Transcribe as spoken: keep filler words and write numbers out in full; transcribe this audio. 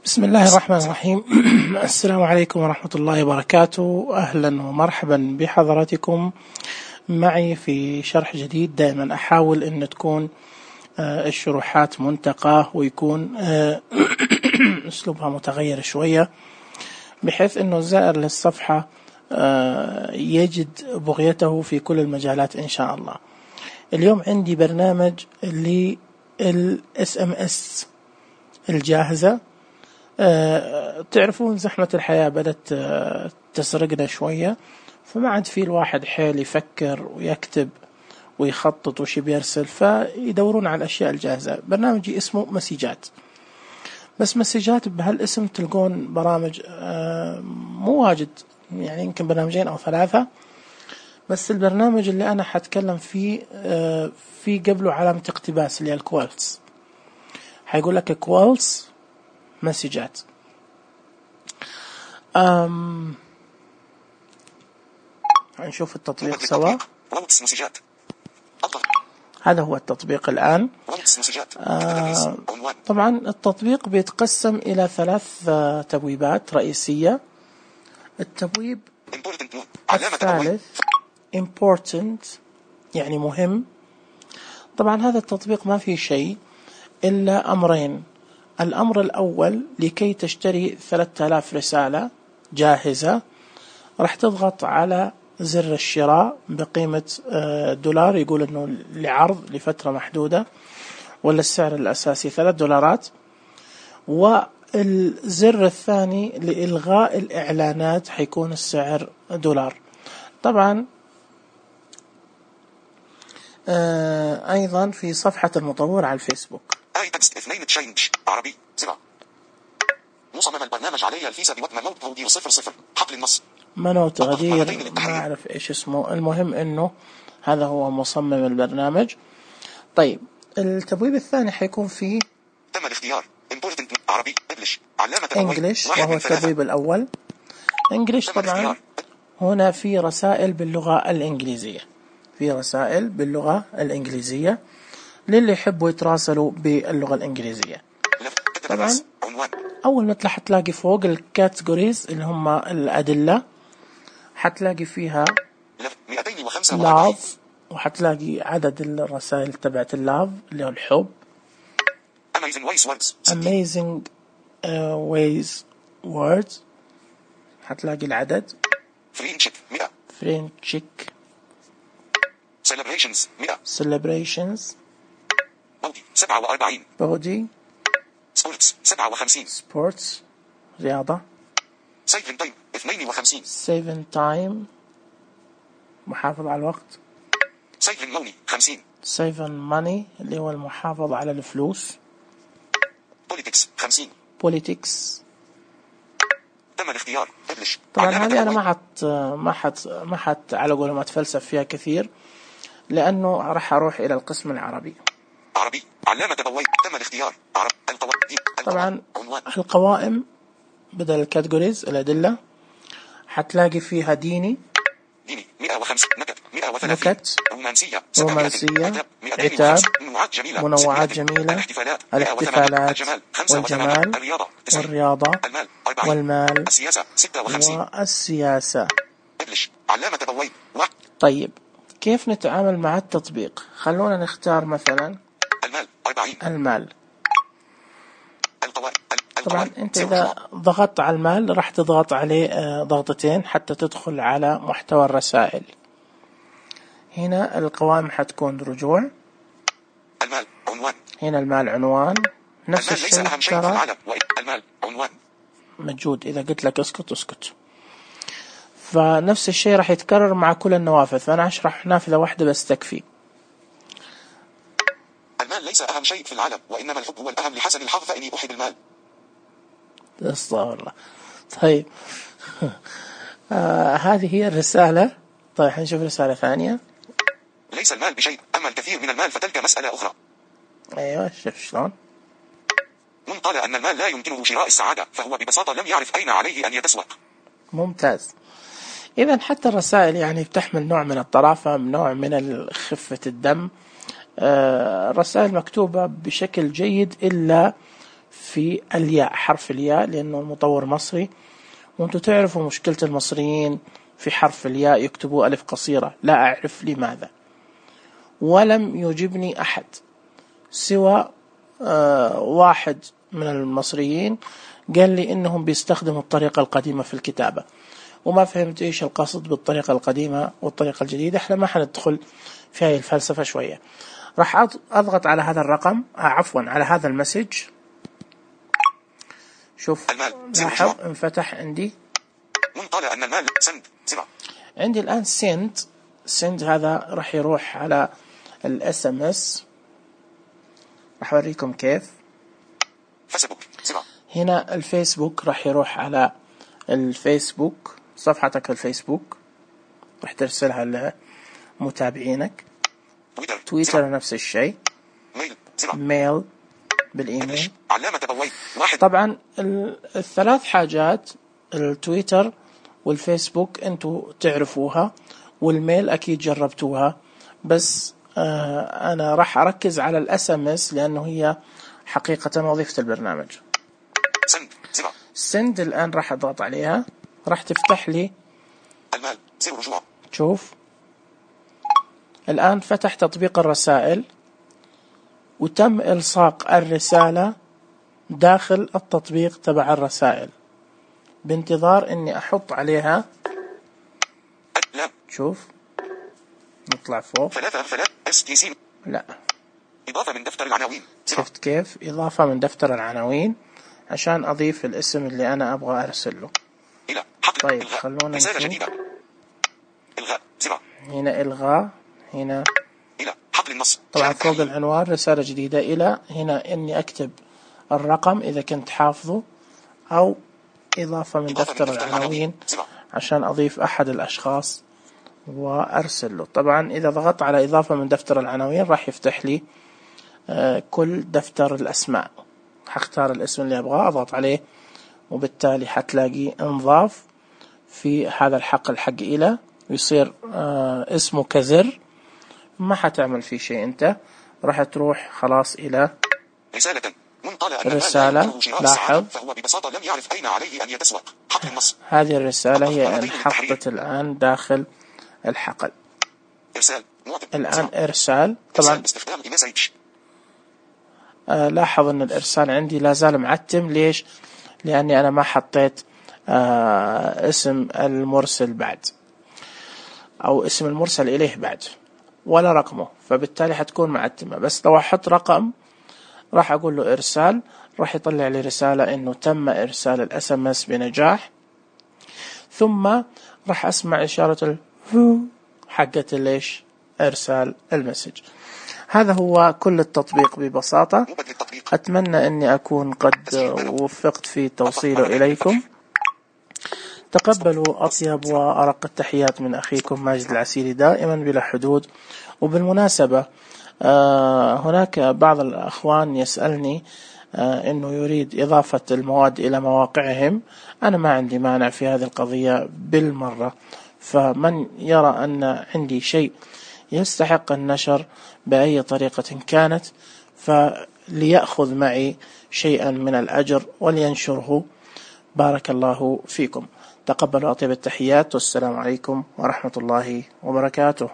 بسم الله الرحمن الرحيم. السلام عليكم ورحمة الله وبركاته. أهلا ومرحبا بحضراتكم معي في شرح جديد. دائما أحاول أن تكون الشروحات منتقاة ويكون أسلوبها متغير شوية بحيث أنه الزائر للصفحة يجد بغيته في كل المجالات إن شاء الله. اليوم عندي برنامج للإس إم إس الجاهزة. أه تعرفون زحمة الحياة بدأت أه تسرقنا شوية، فما عاد في الواحد حيل يفكر ويكتب ويخطط وش بيرسل، فيدورون على الأشياء الجاهزة. برنامجي اسمه مسيجات، بس مسيجات بهالاسم تلقون برامج أه مو واجد، يعني يمكن برنامجين أو ثلاثة، بس البرنامج اللي أنا حتكلم فيه أه في قبله علامة اقتباس اللي هي الكوالتس. حيقول لك كوالتس مسجات. أم هنشوف التطبيق سوا. هذا هو التطبيق الآن. آه طبعا التطبيق بيتقسم إلى ثلاث آه تبويبات رئيسية. التبويب الثالث important يعني مهم. طبعا هذا التطبيق ما فيه شيء إلا أمرين. الأمر الأول، لكي تشتري ثلاثة آلاف رسالة جاهزة راح تضغط على زر الشراء بقيمة دولار، يقول أنه لعرض لفترة محدودة، ولا السعر الأساسي ثلاث دولارات. والزر الثاني لإلغاء الإعلانات حيكون السعر دولار. طبعا أيضا في صفحة المطور على الفيسبوك آي تكست اثنين تشينج عربي زرع مصمم البرنامج علي الفيزا بوقت منوت تغدير صفر صفر حقل النص منوت تغدير ما أعرف إيش اسمه. المهم إنه هذا هو مصمم البرنامج. طيب التبويب الثاني حيكون فيه تم الاختيار important عربي انجلش علامة انجلش وهو التبويب الأول. انجلش طبعا هنا في رسائل باللغة الإنجليزية، في رسائل باللغة الإنجليزية للي يحبوا يتراسلوا باللغة الإنجليزية. طبعا أول ما حتلاقي فوق الكاتيجوريز اللي هم الأدلة، حتلاقي فيها لاف، وحتلاقي عدد الرسائل تبعت اللاف اللي هو الحب. amazing uh, ways words حتلاقي العدد. friendship مئة. friendship celebrations مئة. celebrations body سبعة وأربعين. body sports سبعة وخمسين. sports رياضة. saving time اثنين وخمسين. saving time محافظة على الوقت. saving money خمسين. saving money اللي هو المحافظة على الفلوس. politics خمسين. politics. تم الاختيار انجلش. طبعا هذه أنا ما حت ما حت ما حت على قول ما أتفلسف فيها كثير، لأنه راح أروح إلى القسم العربي. عربي علامة تبويب تم الاختيار عرب القوائم. طبعا القوائم بدل الكاتيجوريز الأدلة حتلاقي فيها ديني ديني مئة وخمسين. نكت مئة وثلاثين. نكت رومانسية رومانسية عتاب منوعات جميلة منوعات جميلة الاحتفالات الاحتفالات الجمال والجمال الرياضة والرياضة المال أربعين. والمال السياسة ستة وخمسين. والسياسة. انجلش علامة تبويب. طيب كيف نتعامل مع التطبيق؟ خلونا نختار مثلا المال أربعين. المال. القوائم. طبعا انت اذا ضغطت على المال راح تضغط عليه ضغطتين حتى تدخل على محتوى الرسائل. هنا القوائم حتكون رجوع. المال عنوان. هنا المال عنوان. نفس المال ليس أهم شيء في العالم. المال عنوان موجود. اذا قلت لك اسكت اسكت. فنفس الشيء راح يتكرر مع كل النوافذ، فانا اشرح نافذة واحدة بس تكفي. المال ليس أهم شيء في العالم، وإنما الحب هو الأهم لحسن الحظ، فإني أحب المال. استغفر الله. طيب آه هذه هي الرسالة. طيب حنشوف رسالة ثانية. ليس المال بشيء، أما الكثير من المال فتلك مسألة أخرى. أيوة شوف شلون. من قال أن المال لا يمكنه شراء السعادة فهو ببساطة لم يعرف أين عليه أن يتسوق. ممتاز. إذا حتى الرسائل يعني بتحمل نوع من الطرافة، نوع من خفة الدم. الرسائل مكتوبة بشكل جيد، إلا في الياء، حرف الياء، لأنه المطور مصري، وأنتم تعرفوا مشكلة المصريين في حرف الياء، يكتبوا ألف قصيرة، لا أعرف لماذا. ولم يجبني أحد سوى آه واحد من المصريين قال لي إنهم بيستخدموا الطريقة القديمة في الكتابة، وما فهمت إيش القصد بالطريقة القديمة والطريقة الجديدة. إحنا ما حندخل في هاي الفلسفة شوية. راح أضغط على هذا الرقم، آه عفوا على هذا المسج. شوف لاحظ انفتح عندي، منطلع أن المال سند زرع. عندي الآن سند سند هذا راح يروح على الاس ام اس. راح أوريكم كيف. فيسبوك زرع. هنا الفيسبوك راح يروح على الفيسبوك، صفحتك الفيسبوك راح ترسلها لمتابعينك. تويتر, تويتر نفس الشيء. ميل زرع. ميل بالإيميل. علامة بوي واحد. طبعا الثلاث حاجات، التويتر والفيسبوك انتوا تعرفوها، والميل اكيد جربتوها، بس آه انا راح اركز على الاس ام اس لانه هي حقيقة وظيفة البرنامج. سند زرع. سند الان راح اضغط عليها، راح تفتح لي المال زر رجوع. شوف الان فتح تطبيق الرسائل، وتم الصاق الرسالة داخل التطبيق تبع الرسائل، بانتظار اني احط عليها. لا. شوف نطلع فوق. ثلاثة ثلاثة اس تي سي. لا. إضافة من دفتر العناوين. شفت كيف؟ إضافة من دفتر العناوين عشان أضيف الاسم اللي أنا أبغى أرسله. إلى حقل. طيب إلغاء. خلونا رسالة جديدة. إلغاء زرع. هنا إلغاء. هنا إلى حقل النص. طبعا فوق العنوان رسالة جديدة. إلى هنا إني أكتب الرقم إذا كنت حافظه، أو إضافة من دفتر العناوين عشان أضيف أحد الأشخاص وأرسل له. طبعا إذا ضغطت على إضافة من دفتر العناوين راح يفتح لي آه كل دفتر الأسماء. حختار الاسم اللي أبغاه، أضغط عليه، وبالتالي حتلاقي انضاف في هذا الحقل حق إلى، ويصير آه اسمه كزر. ما حتعمل فيه شيء أنت، راح تروح خلاص إلى رسالة منطلع. رسالة. لاحظ فهو ببساطة لم يعرف أين عليه أن يتسوق. حقل النص. هذه الرسالة هي انحطت الآن داخل الحقل. إرسال. الآن إرسال. طبعا آه لاحظ أن الإرسال عندي لا زال معتم. ليش؟ لأني أنا ما حطيت آه اسم المرسل بعد، أو اسم المرسل إليه بعد، ولا رقمه، فبالتالي حتكون معتمة. بس لو أحط رقم راح أقول له إرسال، راح يطلع لي رسالة إنه تم إرسال الاس ام اس بنجاح، ثم راح أسمع إشارة الفو حقت ليش إرسال المسج. هذا هو كل التطبيق ببساطة. أتمنى أني أكون قد وفقت في توصيله إليكم. تقبلوا أطيب وأرق التحيات من أخيكم ماجد العسيري، دائما بلا حدود. وبالمناسبة هناك بعض الأخوان يسألني أنه يريد إضافة المواد إلى مواقعهم. أنا ما عندي مانع في هذه القضية بالمرة، فمن يرى أن عندي شيء يستحق النشر بأي طريقة كانت فليأخذ معي شيئا من الأجر ولينشره. بارك الله فيكم. تقبلوا أطيب التحيات، والسلام عليكم ورحمة الله وبركاته.